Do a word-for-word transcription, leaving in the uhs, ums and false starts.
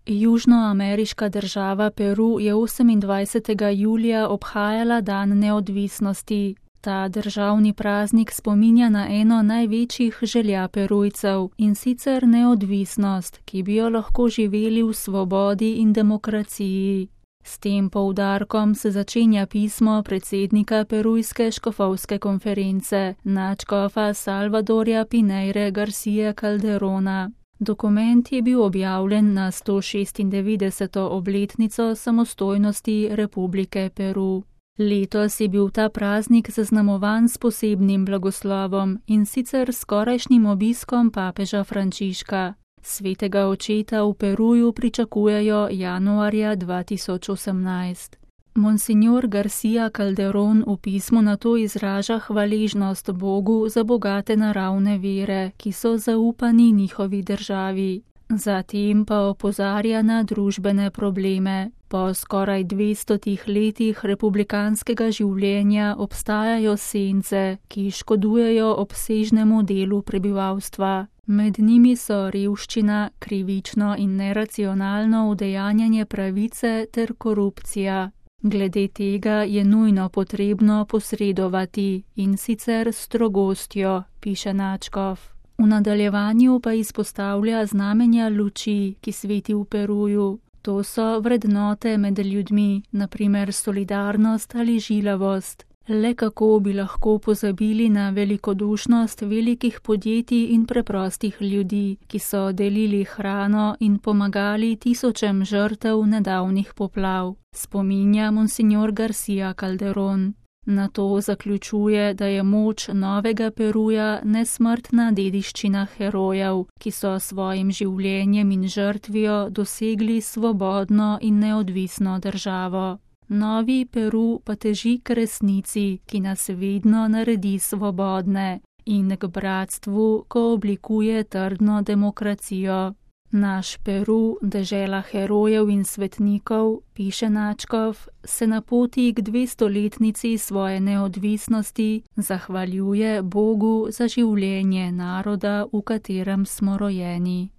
Južnoameriška država Peru je osemindvajsetega julija obhajala dan neodvisnosti. Ta državni praznik spominja na eno največjih želja Perujcev, in sicer neodvisnost, ki bi jo lahko živeli v svobodi in demokraciji. S tem poudarkom se začenja pismo predsednika Perujske škofovske konference, nadškofa Salvadorja Pinheire García Calderona. Dokument je bil objavljen na sto šestindevetdeseto obletnico samostojnosti Republike Peru. Letos je bil ta praznik zaznamovan s posebnim blagoslovom, in sicer skorajšnjim obiskom papeža Frančiška. Svetega očeta v Peruju pričakujejo januarja dva tisoč osemnajst. Monsignor García Calderón v pismu nato izraža hvaležnost Bogu za bogate naravne vire, ki so zaupani njihovi državi. Zatem pa opozarja na družbene probleme. Po skoraj dvestotih letih republikanskega življenja obstajajo sence, ki škodujejo obsežnemu delu prebivalstva. Med njimi so revščina, krivično in neracionalno udejanjanje pravice ter korupcija. Glede tega je nujno potrebno posredovati, in sicer s strogostjo, piše nadškof. V nadaljevanju pa izpostavlja znamenja luči, ki sveti v Peruju. To so vrednote med ljudmi, na primer solidarnost ali žilavost. Le kako bi lahko pozabili na velikodušnost velikih podjetij in preprostih ljudi, ki so delili hrano in pomagali tisočem žrtev nedavnih poplav, spominja monsignor García Calderón. Nato zaključuje, da je moč novega Peruja nesmrtna dediščina herojev, ki so svojim življenjem in žrtvijo dosegli svobodno in neodvisno državo. Novi Peru pa teži k resnici, ki nas vedno naredi svobodne, in k bratstvu, ko oblikuje trdno demokracijo. Naš Peru, dežela herojev in svetnikov, piše nadškof, se na poti k dvestoletnici svoje neodvisnosti zahvaljuje Bogu za življenje naroda, v katerem smo rojeni.